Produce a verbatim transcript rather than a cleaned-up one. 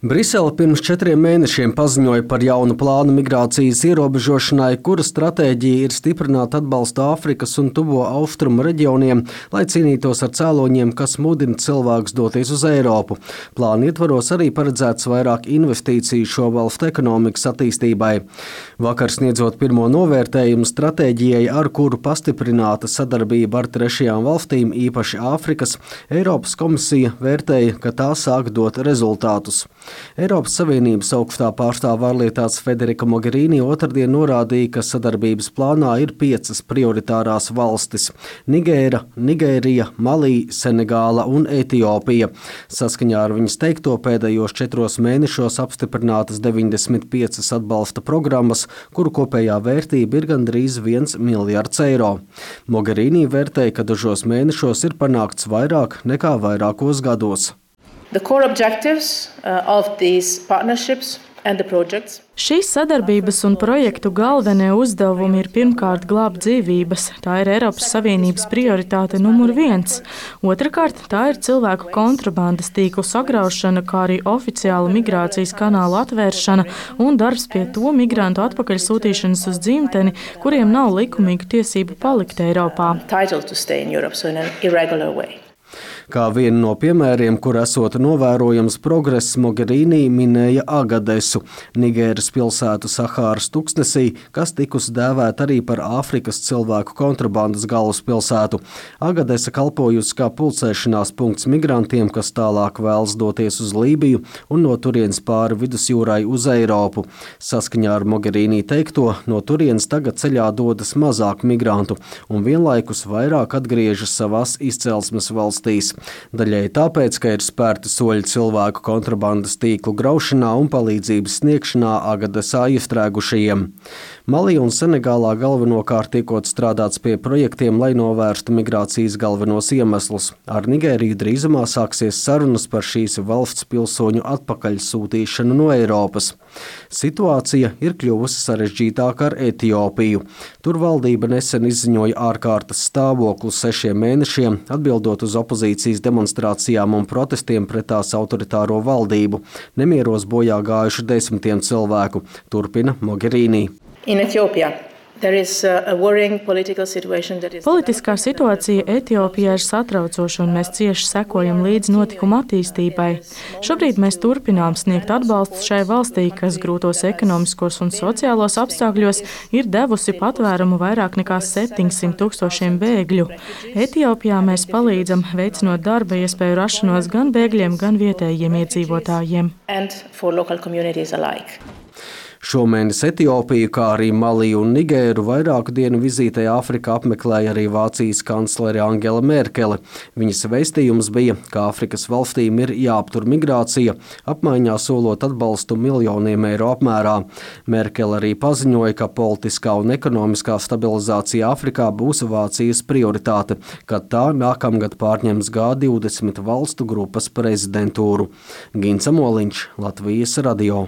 Brisele pirms četriem mēnešiem paziņoja par jaunu plānu migrācijas ierobežošanai, kura stratēģija ir stiprināt atbalstu Āfrikas un Tuvo austrumu reģioniem, lai cīnītos ar cēloņiem, kas mudina cilvēkus doties uz Eiropu. Plāna ietvaros arī paredzēts vairāk investīciju šo valstu ekonomikas attīstībai. Vakar sniedzot pirmo novērtējumu stratēģijai, ar kuru pastiprināta sadarbība ar trešajām valstīm, īpaši Āfrikas, Eiropas komisija vērtēja, ka tā sāk dot rezultātus. Eiropas Savienības augstā pārstāve ārlietās Federika Mogherini otrdien norādīja, ka sadarbības plānā ir piecas prioritārās valstis – Nigēra, Nigērija, Malī, Senegāla un Etiopija. Saskaņā ar viņas teikto pēdējos četros mēnešos apstiprinātas deviņdesmit piecas atbalsta programmas, kuru kopējā vērtība ir gandrīz viens miljards eiro. Mogherini vērtēja, ka dažos mēnešos ir panākts vairāk nekā vairākos gados. The core objectives uh, of these partnerships and the projects. Šīs sadarbības un projektu galvenie uzdevumi ir pirmkārt glābt dzīvības. Tā ir Eiropas Savienības prioritāte numur viens. Otrakārt, tā ir cilvēku kontrabandas tīklu sagraušana, kā arī oficiāla migrācijas kanāla atvēršana un darbs pie to migrantu atpakaļsūtīšanas uz dzimteni, kuriem nav likumīgu tiesību palikt Eiropā. Kā vienu no piemēriem, kur esot novērojams progress, Mogherini minēja Agadesu, Nigēras pilsētu Sahāras tuksnesī, kas tikusi dēvēta arī par Āfrikas cilvēku kontrabandas galvaspilsētu. Agadesa kalpojusi kā pulcēšanās punkts migrantiem, kas tālāk vēlas doties uz Lībiju un no turienes pāri vidusjūrai uz Eiropu. Saskaņā ar Mogherini teikto, no turienes tagad ceļā dodas mazāk migrantu un vienlaikus vairāk atgriežas savās izcelsmes valstīs. Daļai tāpēc, ka ir spērti soļi cilvēku kontrabandas tīklu graušanā un palīdzības sniegšanā Agadesā iestrēgušajiem. Malī un Senegālā galvenokārt tiekot strādāts pie projektiem, lai novērstu migrācijas galvenos iemeslus. Ar Nigēriju drīzumā sāksies sarunas par šīs valsts pilsoņu atpakaļsūtīšanu no Eiropas. Situācija ir kļuvusi sarežģītāka ar Etiopiju. Tur valdība nesen izziņoja ārkārtas stāvokli sešiem mēnešiem, atbildot uz opozīcijas demonstrācijām un protestiem pret tās autoritāro valdību. Nemieros bojā gājuši desmitiem cilvēku, turpina Mogherini. In Ethiopia. Politiskā situācija Etiopijā ir satraucoša, un mēs cieši sekojam līdz notikuma attīstībai. Šobrīd mēs turpinām sniegt atbalstu šai valstī, kas grūtos ekonomiskos un sociālos apstākļos ir devusi patvērumu vairāk nekā septiņsimt tūkstošiem bēgļu. Etiopijā mēs palīdzam veicinot darba iespēju rašanos gan bēgļiem, gan vietējiem iedzīvotājiem. Šomēnes Etiopiju, kā arī Malī un Nigēru vairāku dienu vizītē Āfrikā apmeklēja arī Vācijas kanclere Angela Merkele. Viņas vēstījums bija, ka Āfrikas valstīm ir jāaptur migrācija, apmaiņā solot atbalstu miljoniem eiro apmērā. Merkele arī paziņoja, ka politiskā un ekonomiskā stabilizācija Āfrikā būs Vācijas prioritāte, kad tā nākamgad pārņems G divdesmit valstu grupas prezidentūru. Gins Amoliņš, Latvijas radio.